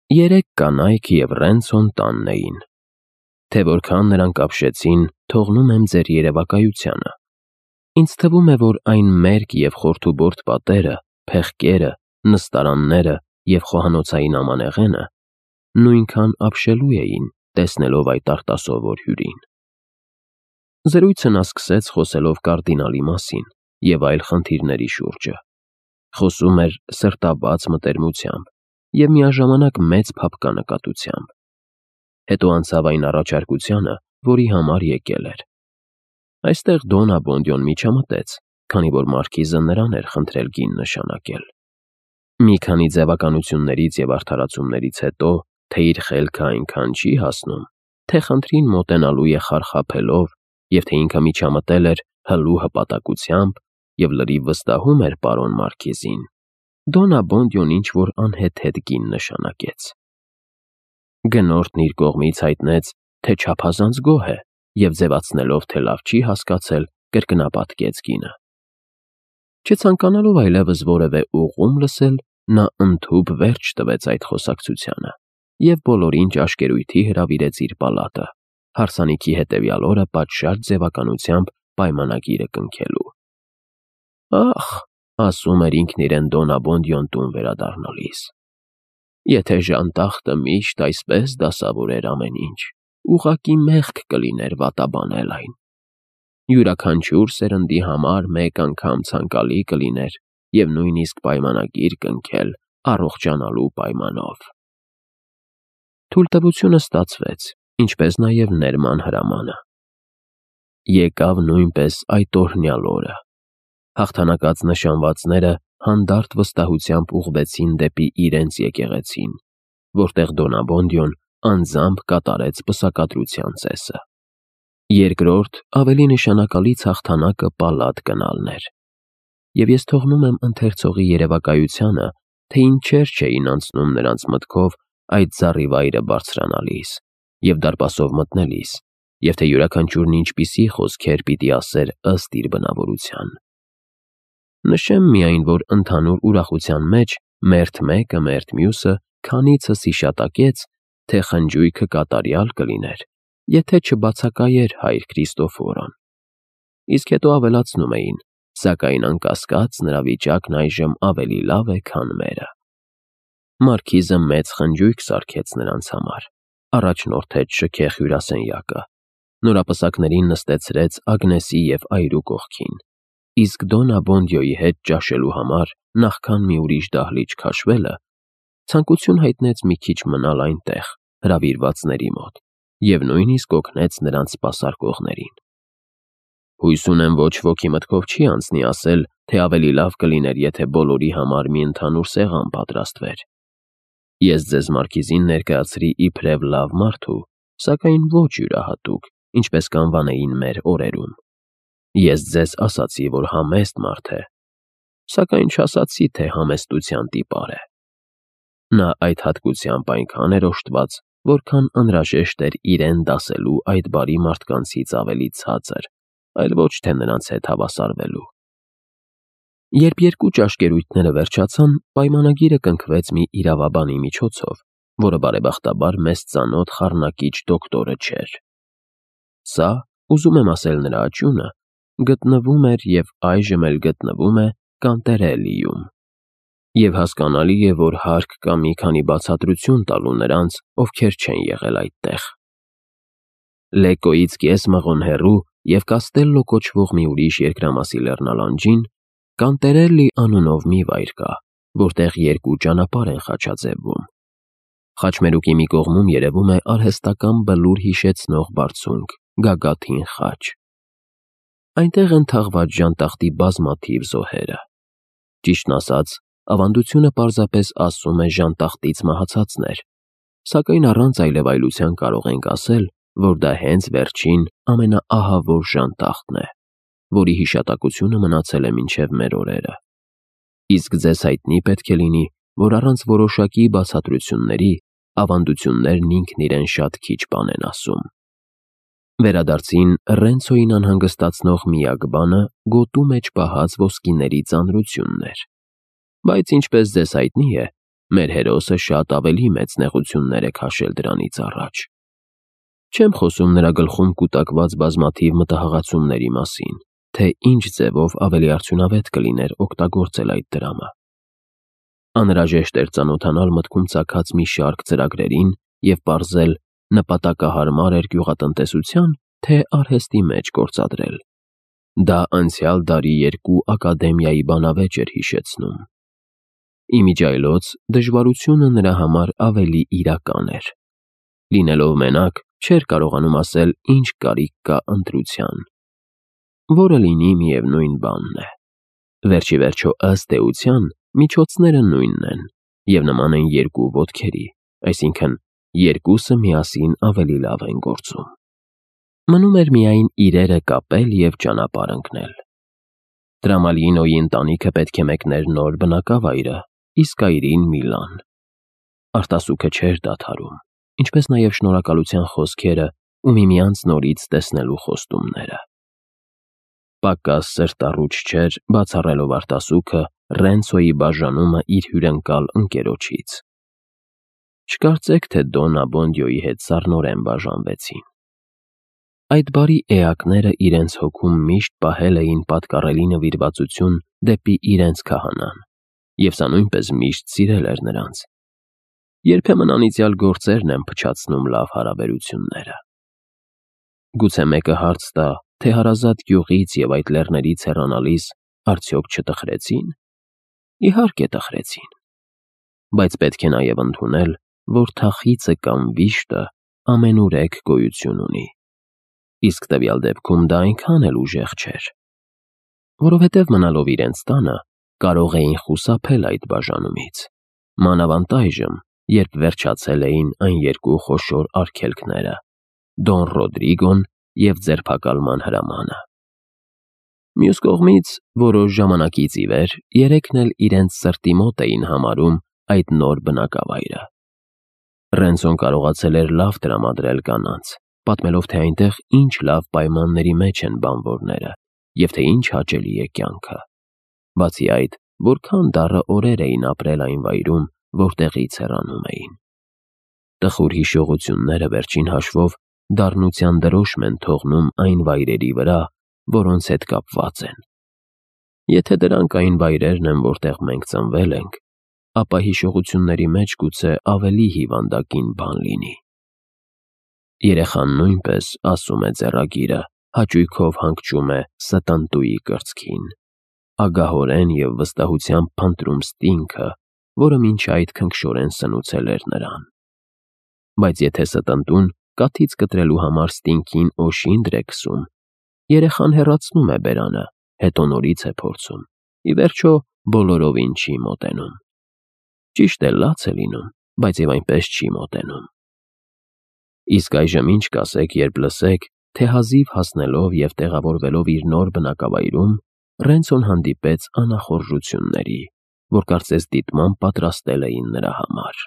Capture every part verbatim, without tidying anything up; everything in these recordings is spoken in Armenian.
Երեք կանայք և Ռենցոն տանն էին։ Թե որքան նրանք ապշեցին, թողնում եմ ձեր երևակայությանը։ Ինձ թվում է, որ այն մերկ և խորթուբորդ պատերը, փեղկերը, նստարանները և խոհանոցային ամանեղենը նույնքան ապշելու էին, տեսնելով այդ արտասովոր հյուրին։ Զրույցը նա սկսեց խոսելով կարդինալի մասին և այլ խնդիրների շուրջը։ Խոսում էր սրտաբաց մտերմությամբ և միաժամանակ մեծ փափկանկատությամբ։ Հետո անցավ այն առաջարկությանը, որի համար եկել էր։ Այստեղ Դոն Աբոնդիոն միջամտեց, քանի որ մարքիզը նրան էր խնդրել գին նշանակել։ Մի քանի ձևականություններից և արդարացումներից հետո, թե իր խելքը այնքան չի հասնում, թե խնդրին մոտենալու է խարխափելով, և թե ինքը միջամտել էր հլու հպատակությամբ և լրիվ վստահում էր պարոն մարքիզին, Դոն Աբոնդիոն ինչ-որ անհեթեթ գին նշանակեց։ Գնորդն իր կողմից հայտնեց, թե չափազանց գոհ է, և ձևացնելով, թե լավ չի հասկացել, կրկնապատկեց գինը։ Չցանկանալով այլևս որևէ ուղղում լսել, նա ընդհուպ վերջ տվեց այդ խոսակցությանը և բոլորին ճաշկերույթի հրավիրեց իր պալատը, հարսանիքի հետևյալ օրը պատշաճ ձևականությամբ պայմանագիրը կնքելու։ «Ախ», ասում էր ինքն իրեն Դոն Աբոնդիոն տուն վերադառնալիս, «եթե ժանտախտը միշտ այսպես դասավորեր ամեն ինչ, ուղղակի մեղք կլիներ վատաբանել այն։ Յուրաքանչյուր սերնդի համար մեկ անգամ ցանկալի կլիներ և նույնիսկ պայմանագիր կնքել առողջանալու պայմանով»։ Թույլտվությունը ստացվեց, ինչպես նաև ներման հրամանը։ Եկավ նույնպես այդ օրհնյալ օրը։ Հաղթանակած նշանվածները հանդարտ վստահությամբ ուղղվեցին դեպի իրենց եկեղեցին, որտեղ Դոն Աբոնդիոն անձամբ կատարեց պսակադրության ծեսը։ Երկրորդ, ավելի նշանակալից հաղթանակը պալատ գնալն էր։ Եվ ես թողնում եմ ընթերցողի երևակայությանը, թե ինչեր չէին անցնում նրանց մտքով այդ զառիվայրը բարձրանալիս և դարպասով մտնելիս, և թե յուրաքանչյուրն ինչպիսի խոսքեր պիտի ասեր ըստ իր բնավորության։ Նշեմ միայն, որ ընդհանուր ուրախության մեջ մերթ մեկը մերթ մյուսը քանիցս հիշատակեց, թե խնջույքը կատարյալ կլիներ, եթե չբացակայեր հայր Քրիստոֆորոն։ Իսկ հետո ավելացնում էին, սակայն անկասկած նրա վիճակն այժմ ավելի լավ է, քան մերը։ Մարքիզը մեծ խնջույք սարքեց նրանց համար, առաջնորդեց շքեղ հյուրասենյակը, նորապսակներին նստեցրեց Ագնեսի և այրու կողքին, իսկ Դոն Աբոնդիոյի հետ ճաշելու համար, նախքան մի ուրիշ դահլիճ քաշվելը, ցանկություն հայտնեց մի քիչ մնալ այնտեղ, հրավիրվածների մոտ, և նույնիսկ օգնեց նրանց սպասարկողներին։ Հույս ունեմ, ոչ ոքի մտքով չի անցնի ասել, թե ավելի լավ կլիներ, եթե բոլորի համար մի ընդհանուր սեղան պատրաստվեր։ Ես ձեզ մարքիզին ներկայացրի իբրև լավ մարդու, սակայն ոչ յուրահատուկ, ինչպես կանվանեին մեր օրերում։ Ես ձեզ ասացի, որ համեստ մարդ է, սակայն չասացի, թե համեստության տիպար է։ Նա այդ հատկությամբ այնքան էր օժտված, որքան անհրաժեշտ էր իրեն դասելու այդ բարի մարդկանցից ավելի ցածր, այլ ոչ թե նրանց հետ հավասարվելու։ Երբ երկու ճաշկերույթները վերջացան, պայմանագիրը կնքվեց մի իրավաբանի միջոցով, որը բարեբախտաբար մեզ ծանոթ խառնակիչ դոկտորը չէր։ Սա, ուզում եմ ասել նրա աճյունը, գտնվում էր և այժմ էլ գտնվում է Կանտերելիում, և հասկանալի է, որ հարկ կա մի քանի բացատրություն տալու նրանց, ովքեր չեն եղել այդտեղ։ Լեկկոյից կես մղոն հեռու և Կաստելլո կոչվող մի ուրիշ երկրամասի լեռնալանջին Կանտերելի անունով մի վայր կա, որտեղ երկու ճանապարհ են խաչաձևվում։ Խաչմերուկի մի կողմում երևում է արհեստական բլուր հիշեցնող բարձունք՝ գագաթին խաչ։ Այնտեղ են թաղված ժանտախտի բազմաթիվ զոհերը։ Ճիշտն ասած, ավանդությունը պարզապես ասում է ժանտախտից մահացածներ, սակայն առանց այլևայլության կարող ենք ասել, որ դա հենց վերջին ամենաահավոր ժանտախտն է, որի հիշատակությունը մնացել է մինչև մեր օրերը։ Իսկ ձեզ հայտնի պետք է լինի, որ առանց որոշակի բացատրությունների ավանդություններն ինքն իրեն շատ քիչ բան են ասում։ Վերադարձին Ռենցոյին անհանգստացնող միակ բանը գոտու մեջ պահած ոսկիների ծանրությունն էր։ Բայց ինչպես ձեզ հայտնի է, մեր հերոսը շատ ավելի մեծ նեղություններ է քաշել դրանից առաջ։ Չեմ խոսում նրա գլխում կուտակված բազմաթիվ մտահղացումների մասին, թե ինչ ձևով ավելի արդյունավետ կլիներ օգտագործել այդ դրամը։ Անհրաժեշտ էր ծանոթանալ մտքում ծագած մի շարք ծրագրերին և պարզել նպատակահարմար էր գյուղատնտեսության, թե արհեստի մեջ գործադրել։ Դա անցյալ դարի երկու ակադեմիայի բանավեճ էր հիշեցնում։ Իմիջիայլոց դժվարությունը նրա համար ավելի իրական էր։ Լինելով մենակ, չէր կարողանում ասել ինչ կարիք կա ընտրության, որը լինի միևնույն բանն է։ Վերջիվերջո ըստ էության միջոցները նույնն են և նման են երկու ոտքերի, այսինքն երկուսը միասին ավելի լավ են գործում։ Մնում էր միայն իրերը կապել և ճանապարհ ընկնել։ Տրամալինոյի ընտանիքը պետք է մեկներ նոր բնակավայրը, իսկ այրին Միլան։ Արտասուքը չէր դադարում, ինչպես նաև շնորհակալության խոսքերը ու միմյանց նորից տեսնելու խոստումները։ Պակաս սրտառուչ չէր բացառելով արտասուքը Ռենցոյի բաժանումը իր հյուրընկալ ընկերոջից։ Չկարծեք, թե Դոն Աբոնդիոյի հետ սառնորեն բաժանվեցին։ Այդ բարի էակները իրենց հոգում միշտ պահել էին պատկառելի նվիրվածություն դեպի իրենց քահանան, և սա նույնպես միշտ սիրել էր նրանց։ Երբեմն անիծյալ գործերն են փչացնում լավ հարաբերությունները։ Գուցե մեկը հարց տա, թե հարազատ գյուղից և այդ լեռներից հեռանալիս արդյոք չտխրեցի՞ն։ Իհարկե տխրեցին։ Բայց պետք է նաև ընդունել, որ թախիծը կամ վիշտը ամենուրեք գոյություն ունի, իսկ տվյալ դեպքում դա այնքան էլ ուժեղ չէր, որովհետև մնալով իրենց տանը կարող էին խուսափել այդ բաժանումից, մանավանդ այժմ, երբ վերջացել էին այն երկու խոշոր արգելքները՝ Դոն Ռոդրիգոն և ձերբակալման հրամանը։ Մյուս կողմից, որոշ ժամանակից ի վեր երեքն էլ իրենց սրտի մոտ էին համարում այդ նոր բնակավայրը։ Ռենցոն կարողացել էր լավ տրամադրել կանանց, պատմելով, թե այնտեղ ինչ լավ պայմանների մեջ են բանվորները և թե ինչ հաճելի է կյանքը։ Բացի այդ, որքան դառը օրեր էին ապրել այն վայրում, որտեղից հեռանում էին։ Տխուր հիշողությունները վերջին հաշվով դառնության դրոշմ են թողնում այն վայրերի վրա, որոնց հետ կապված են։ Եթե դրանք այն վայրերն են, որտեղ մենք ծնվել ենք, ապա հիշողությունների մեջ գուցե ավելի հիվանդագին բան լինի։ Երեխան նույնպես, ասում է ձեռագիրը, հաճույքով հանգչում է ստանտուի կրծքին, ագահորեն և վստահությամբ փնտրում ստինգը, որը մինչ այդ քնքշորեն սնուցել էր նրան։ Բայց եթե ստանտուն կաթից կտրելու համար ստինգին օշինդր է քսում, երեխան հեռացնում է բերանը, հետո նորից է փորձում, ի վերջո բոլորովին չի մոտենում։ Ճիշտ է, լաց է լինում, բայց և այնպես չի մոտենում։ Իսկ այժմ ինչ կասեք, երբ լսեք, թե հազիվ հասնելով և տեղավորվելով իր նոր բնակավայրում, Ռենցոն հանդիպեց անախորժությունների, որ կարծես դիտմամբ պատրաստել էին նրա համար։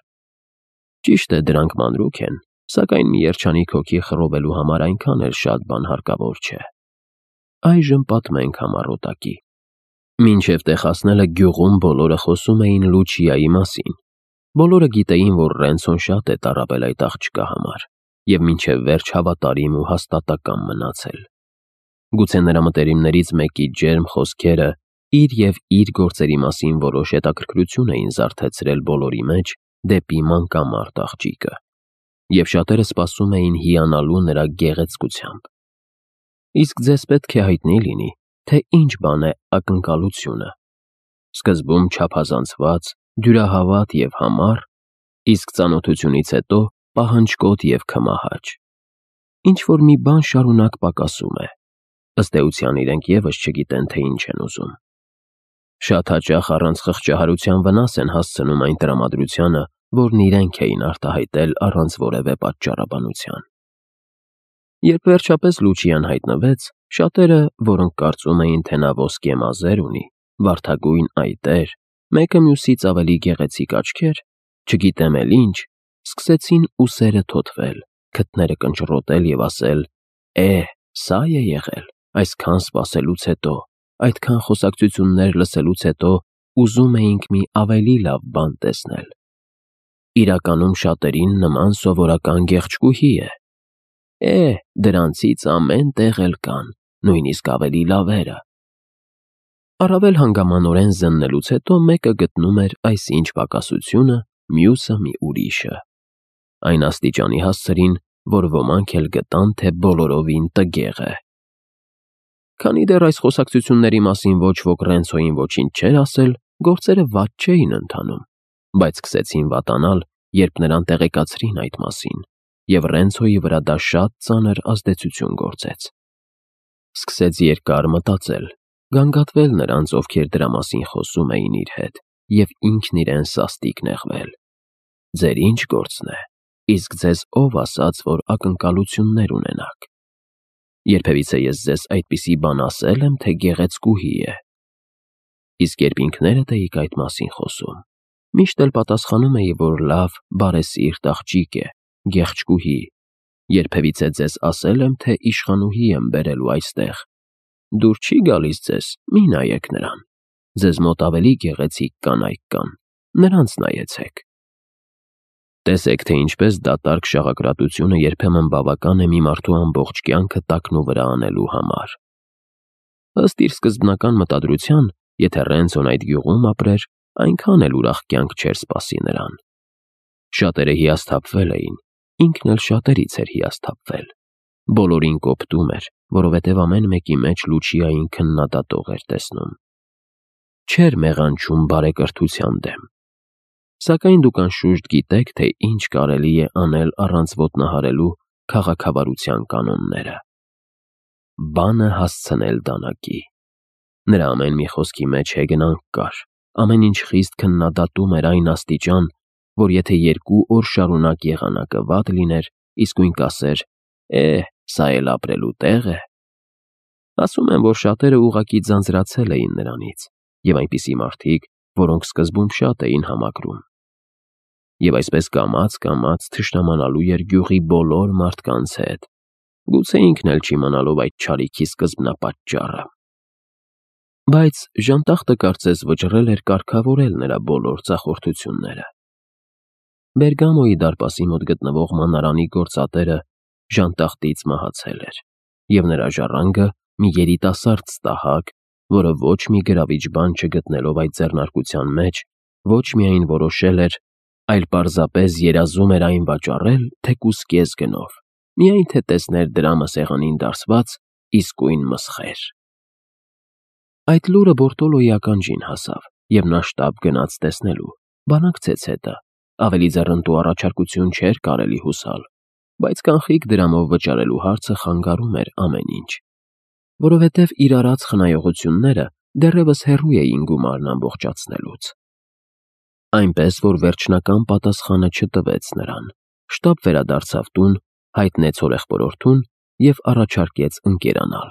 Ճիշտ է, դրանք մանրուք են, սակայն մի երջանիկ հոգի խռովելու համար այնքան էլ շատ բան հարկավոր չէ։ Այժմ պատմենք համառոտակի։ Մինչև տեղ հասնելը գյուղում բոլորը խոսում էին Լուչիայի մասին։ Բոլորը գիտեին, որ Ռենցոն շատ է տառապել այդ աղջկա համար և մինչև վերջ հավատարիմ ու հաստատակամ մնացել։ Գուցե նրա մտերիմներից մեկի ջերմ խոսքերը իր և իր գործերի մասին որոշ հետաքրքրություն էին զարթեցրել բոլորի մեջ դեպի մանկամարտ աղջիկը, և շատերը սպասում էին հիանալու նրա գեղեցկությամբ։ Իսկ ձեզ պետք է հայտնի լինի, թե ինչ բան է ակնկալությունը։ Սկզբում չափազանցված, դյուրահավատ և համառ, իսկ ծանոթությունից հետո պահանջկոտ և քմահաճ։ Ինչ-որ մի բան շարունակ պակասում է։ Ըստ էության իրենք ևս չգիտեն, թե ինչ են ուզում։ Շատ հաճախ առանց խղճահարության վնաս են հասցնում այն տրամադրությանը, որն իրենք էին արտահայտել առանց որևէ պատճառաբանության։ Երբ վերջապես Լուչիան հայտնվեց, շատերը, որոնք կարծում էին, թե նա ոսկե մազեր ունի, վարդագույն այտեր, մեկը մյուսից ավելի գեղեցիկ աչքեր, չգիտեմ էլ ինչ, սկսեցին ուսերը թոթվել, քթները կնճռոտել և ասել. «Է, սա է եղել, այսքան սպասելուց հետո, այդքան խոսակցություններ լսելուց հետո ուզում էինք մի ավելի լավ բան տեսնել, իրականում շատերին նման սովորական գեղեցկուհի է։ Է, դրանցից ամեն տեղ էլ կան, նույնիսկ ավելի լավերը։ Առավել հանգամանորեն զննելուց հետո մեկը գտնում էր այսինչ պակասությունը, մյուսը մի ուրիշը։ Այն աստիճանի հասցրին, որ ոմանք էլ գտան, թե բոլորովին տգեղ է։ Քանի դեռ այս խոսակցությունների մասին ոչ ոք Ռենցոյին ոչինչ չէր ասել, գործերը վատ չէին ընթանում, բայց սկսեցին վատանալ, երբ նրան տեղեկացրին այդ մասին, և Ռենցոյի վրա դա շատ ծանր ազդեցություն գործեց։ Սկսեց երկար մտածել, գանգատվել նրանց, ովքեր դրա մասին խոսում էին իր հետ, և ինքն իրեն սաստիկ նեղվել։ Ձեր ինչ գործն է, իսկ ձեզ ով ասաց, որ ակնկալություններ ունենաք։ Երբևիցե ես ձեզ այդպիսի բան ասել եմ, թե գեղեցկուհի է։ Իսկ երբ ինքներդ էիք այդ մասին խոսում, միշտ էլ պատասխանում էի, որ լավ, բարեսիրտ աղջիկ է, գեղեցկուհի։ Երբևիցե ձեզ ասել եմ, թե իշխանուհի եմ բերելու այստեղ։ Դուր չի գալիս ձեզ, մի նայեք նրան։ Ձեզ մոտ ավելի գեղեցիկ կանայք կան, նրանց նայեցեք։ Տեսեք, թե ինչպես դատարկ շաղակրատությունը երբեմն բավական է մի մարդու ամբողջ կյանքը տակնու վրա անելու համար։ Ըստ իր սկզբնական մտադրության, եթե Ռենցոն այդ գյուղում ապրեր, այնքան էլ ուրախ կյանք չէր սպասի նրան։ Շատերը հիասթափվել էին, ինքն էլ շատերից էր հիասթափվել։ Բոլորին կոպտում էր, որովհետև ամեն մեկի մեջ Լուչիային քննադատող էր տեսնում։ Չէր մեղանչում բարեկրթության դեմ։ Սակայն դուք անշուշտ գիտեք, թե ինչ կարելի է անել առանց ոտնահարելու քաղաքավարության կանոնները։ Բանը հասցնել դանակի։ Նրա ամեն մի խոսքի մեջ հեգնանք կար, ամեն ինչ խիստ քննադատում էր այն աստիճան, որ եթե երկու օր շարունակ եղանակը վատ լիներ, իսկույն կասեր. «Է, սա էլ ապրելու տեղ է»։ Ասում են, որ շատերը ուղղակի ձանձրացել էին նրանից, և այնպիսի մարդիկ, որոնք սկզբում շատ էին համակրում։ Եվ այսպես կամաց-կամաց թշնամանալու էր գյուղի բոլոր մարդկանց հետ, գուցե ինքն էլ չիմանալով այդ չարիքի սկզբնապատճառը։ Բայց ժանտախտը կարծես վճռել էր կարգավորել նրա բոլոր ձախորդությունները։ Բերգամոյի դարպասի մոտ գտնվող մանարանի գործատերը ժանտախտից մահացել էր, և նրա ժառանգը մի երիտասարդ ստահակ, որը ոչ մի գրավիչ բան չգտնելով այդ ձեռնարկության մեջ, ոչ միայն որոշել էր, այլ պարզապես երազում էր այն վաճառել թեկուզ կես գնով, միայն թե տեսներ դրամը սեղանին դարսված, իսկույն մսխեր։ Այդ լուրը Բորտոլոյի ականջին հասավ, և նա շտապ գնաց տեսնելու, բանակցեց հետը, ավելի ձեռնտու առաջարկություն չէր կարելի հուսալ, բայց կանխիկ դրամով վճարելու հարցը խանգարում էր ամեն ինչ, որովհետև իր արած խնայողությունները դեռևս հեռու էին գումարն ամբողջացնելուց։ Այնպես, որ վերջնական պատասխանը չտվեց նրան, շտապ վերադարձավ տուն, հայտնեց հորեղբորորդուն և առաջարկեց ընկերանալ։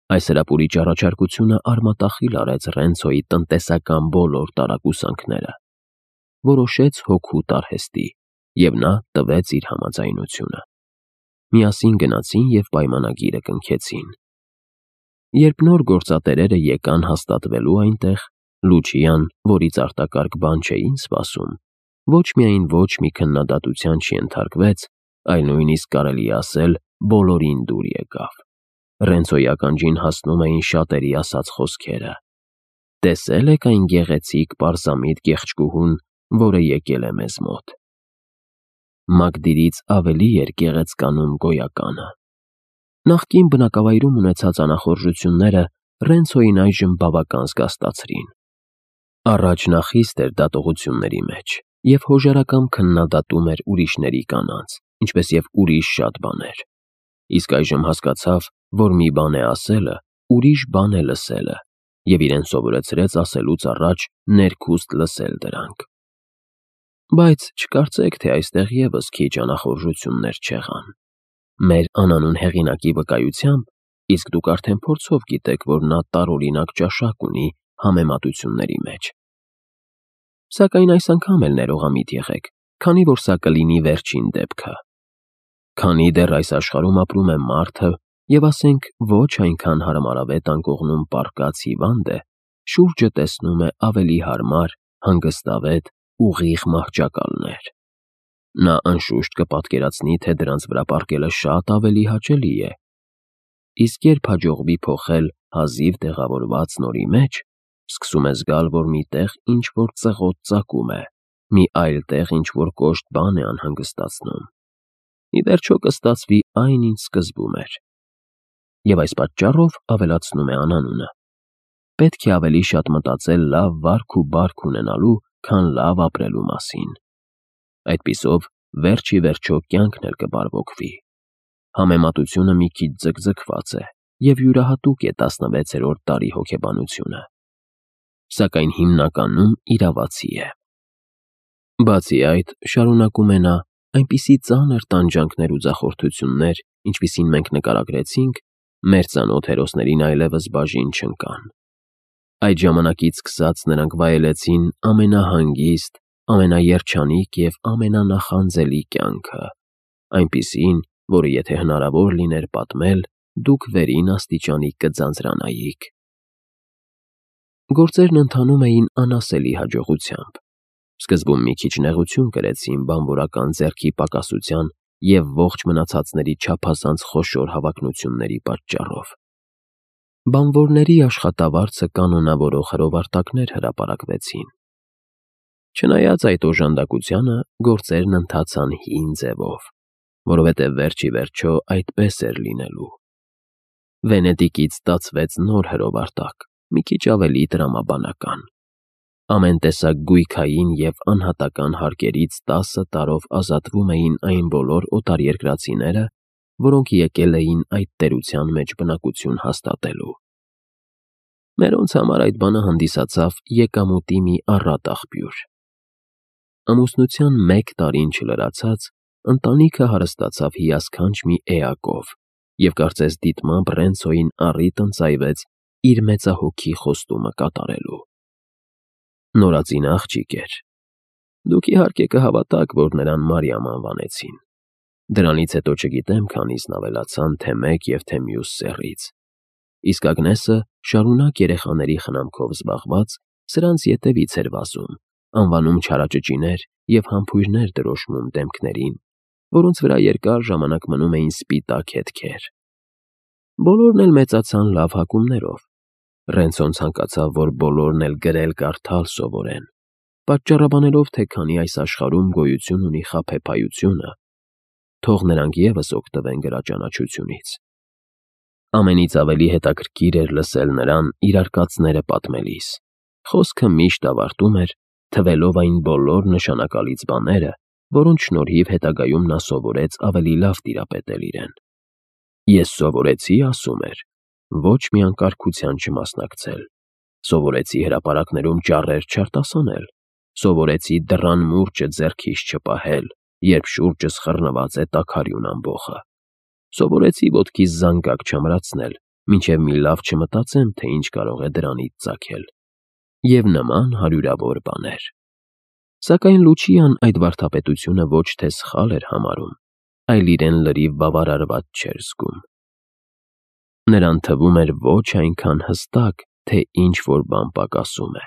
Այս հրապուրիչ առաջարկությունը արմատախիլ արեց Ռենցոյի տնտեսական բոլոր տարակուսանքները, որոշեց հոգուտ արհեստի, և նա տվեց իր համաձայնությունը։ Միասին գնացին և պայմանագիրը կնքեցին։ Երբ նոր գործատերերը եկան հաստատվելու այնտեղ, Լուչիան, որից արտակարգ բան չէին սպասում, ոչ միայն ոչ մի քննադատության չենթարկվեց, այլ նույնիսկ կարելի է ասել բոլորին դուր եկավ։ Ռենցոյի ականջին հասնում էին շատերի ասած խոսքերը. «Տեսե՞լ եք այն գեղեցիկ պարզամիտ գեղեցկուհուն, որը եկել է մեզ մոտ»։ Մակդիրից ավելի էր գեղեցկանում գոյականը։ Նախկին բնակավայրում ունեցած անախորժությունները Ռենցոյին այժմ բավական զգաստացրին։ Առաջ նա խիստ էր դատողությունների մեջ և հոժարակամ քննադատում էր ուրիշների կանանց, ինչպես և ուրիշ շատ բաներ, իսկ այժմ հասկացավ, որ մի բան է ասելը, ուրիշ բան է լսելը, և իրեն սովորեցրեց ասելուց առաջ ներքուստ լսել դրանք։ Բայց չկարծեք, թե այստեղ ևս քիչ անախորժություններ չեղան։ Մեր անանուն հեղինակի վկայությամբ, իսկ դուք արդեն փորձով գիտեք, որ նա տարօրինակ ճաշակ ունի համեմատությունների մեջ։ Սակայն այս անգամ էլ ներողամիտ եղեք, քանի որ սա կլինի վերջին դեպքը։ Քանի դեռ այս աշխարհում ապրում է մարդը, և ասենք ոչ այնքան հարմարավետ անկողնում պառկած հիվանդ է, շուրջը տեսնում է ավելի հարմար, հանգստավետ ուղիղ մահճակալներ։ Նա անշուշտ կպատկերացնի, թե դրանց վրա պառկելը շատ ավելի հաճելի է, իսկ երբ հաջողվի փոխել հազիվ տեղավորված նորի մեջ, սկսում է զգալ, որ մի տեղ ինչ-որ ծղոտ ծակում է, մի այլ տեղ ինչ-որ կոշտ բան է անհանգստացնում։ Ի վերջո կստացվի այն, ինչ սկզբում էր։ Եվ այս պատճառով ավելացնում է անանունը. պետք է ավելի շատ մտածել լավ վարք ու բարք ունենալու, քան լավ ապրելու մասին։ Այդպիսով վերջ ի վերջո կյանքն էլ կբարվոքվի։ Համեմատությունը մի քիչ ձգձգված է և յուրահատուկ է տասնվեցերորդ դարի հոգեբանությունը, սակայն հիմնականում իրավացի է։ Բացի այդ, շարունակում է նա, այնպիսի ծանր տանջանքներ ու ձախորդություններ, ինչպիսին մենք նկարագրեցինք, մեր ծանոթ հերոսներին այլևս բաժին չընկան։ Այդ ժամանակից սկսած նրանք վայելեցին ամենահանգիստ, ամենաերջանիկ և ամենանախանձելի կյանքը, այնպիսին, որը եթե հնարավոր լիներ պատմել, դուք վերին աստիճանի կձանձրանայիք։ Գործերն ընթանում էին անասելի հաջողությամբ։ Սկզբում մի քիչ նեղություն կրեցին բանվորական ձեռքի պակասության և ողջ մնացածների չափազանց խոշոր հավակնությունների պատճառով։ Բանվորների աշխատավարձը կանոնավորող հրովարտակներ հրապարակվեցին։ Չնայած այդ օժանդակությանը, գործերն ընթացան հին ձևով, որովհետև վերջ ի վերջո այդպես էր լինելու։ Վենետիկից ստացվեց նոր հրովարտակ, մի քիչ ավելի տրամաբանական։ Ամեն տեսակ գույքային և անհատական հարկերից տասը տարով ազատվում էին այն բոլոր օտարերկրացիները, որոնք եկել էին այդ տերության մեջ բնակություն հաստատելու։ Մերոնց համար այդ բանը հանդիսացավ եկամուտի մի առատ աղբյուր։ Ամուսնության մեկ տարին չլրացած, ընտանիքը հարստացավ հիասքանչ մի էակով և կարծես դիտմամբ Ռենցոյին առիթ ընծայվեց իր մեծահոգի խոստումը կատարելու։ Նորածինը աղջիկ էր։ Դուք իհարկե կհավատաք, որ նրան Մարիամ անվանեցին։ Դրանից հետո չգիտեմ քանիսն ավելացան թե մեկ և թե մյուս սեռից։ Իսկ Ագնեսը, շարունակ երեխաների խնամքով զբաղված, սրանց ետևից էր վազում, անվանում չարաճճիներ և համբույրներ դրոշմում դեմքներին, որոնց վրա երկար ժամանակ մնում էին սպիտակ հետքեր։ Բոլորն էլ մեծացան լավ հակումներով։ Ռենցոն ցանկացավ, որ բոլորն էլ գրել-կարդալ սովորեն, պատճառաբանելով, թե քանի այս աշխարհում գոյություն ունի խաբեբայությունը, թող նրանք ևս օգտվեն գրաճանաչությունից։ Ամենից ավելի հետաքրքիր էր լսել նրան իր արկածները պատմելիս։ Խոսքը միշտ ավարտում էր, թվելով այն բոլոր նշանակալից բաները, որոնց շնորհիվ հետագայում նա սովորեց ավելի լավ տիրապետել իրեն։ Ես սովորեցի, ասում էր, ոչ մի անկարգության չմասնակցել, սովորեցի հրապարակներում ճառեր չարտասանել, սովորեցի դռան մուրճը ձեռքիս չպահել, երբ շուրջս խռնված է տաքարյուն ամբոխը, սովորեցի ոտքիս զանգակ չամրացնել, մինչև մի լավ չմտածեմ, թե ինչ կարող է դրանից ծագել, և նման հարյուրավոր բաներ։ Սակայն Լուչիան այդ վարդապետությունը ոչ թե սխալ էր համարում, այլ իրեն լրիվ բավարարված չէր զգում։ Նրան թվում էր ոչ այնքան հստակ, թե ինչ-որ բան պակասում է։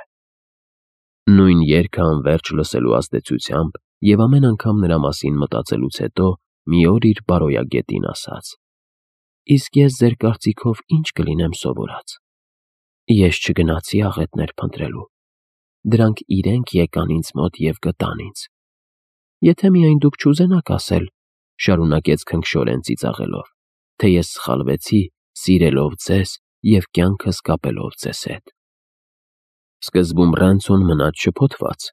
Նույն երգը անվերջ լսելու ազդեցությամբ և ամեն անգամ նրա մասին մտածելուց հետո մի օր իր բարոյագետին ասաց. «Իսկ ես ձեր կարծիքով ի՞նչ կլինեմ սովորած։ Ես չգնացի աղետներ փնտրելու։ Դրանք իրենք եկան ինձ մոտ և գտան ինձ։ Եթե միայն դուք չուզենաք ասել, — շարունակեց քնքշորեն ծիծաղելով, — թե ես սխալվեցի, սիրելով ձեզ և կյանքս կապելով ձեզ հետ»։ Սկզբում Ռենցոն մնաց շփոթված,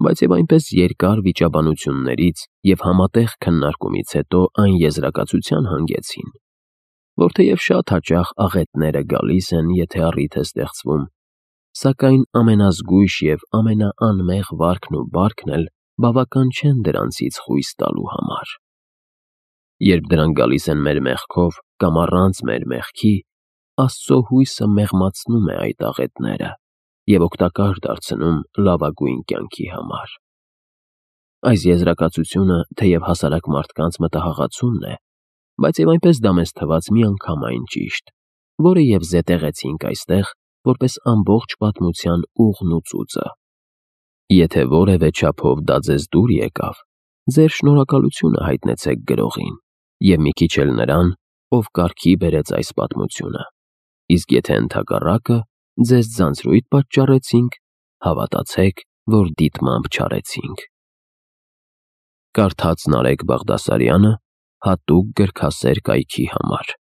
բայց և այնպես երկար վիճաբանություններից և համատեղ քննարկումից հետո այն եզրակացության հանգեցին, որ թեև շատ հաճախ աղետները գալիս են, եթե առիթ է ստեղծվում, սակայն ամենազգույշ և ամենաանմեղ վարքն ու բարքն էլ բավական չեն դրանցից խույս տալու համար։ Երբ դրանք գալիս են մեր մեղքով կամ առանց մեր մեղքի, Աստծո հույսը մեղմացնում է այդ աղետները և օգտակար դարձնում լավագույն կյանքի համար։ Այս եզրակացությունը թեև հասարակ մարդկանց մտահաղացումն է, բայց և այնպես դա մեզ թվաց միանգամայն ճիշտ, որը և զետեղեցինք այստեղ, որպես ամբողջ պատմության ուղն ու ծուծը։ Եթե որևէ չափով դա ձեզ դուր եկավ, ձեր շնորհակալությունը հայտնեցեք գրողին և մի քիչ էլ նրան, ով կարգի բերեց այս պատմությունը, իսկ եթե ընդհակառակը, ձեզ ձանձրույթ պատճառեցինք, հավատացեք, որ դիտմամբ չարեցինք։ Կարդաց Նարեկ Բաղդասարյանը հատուկ գրքասեր կայքի համար։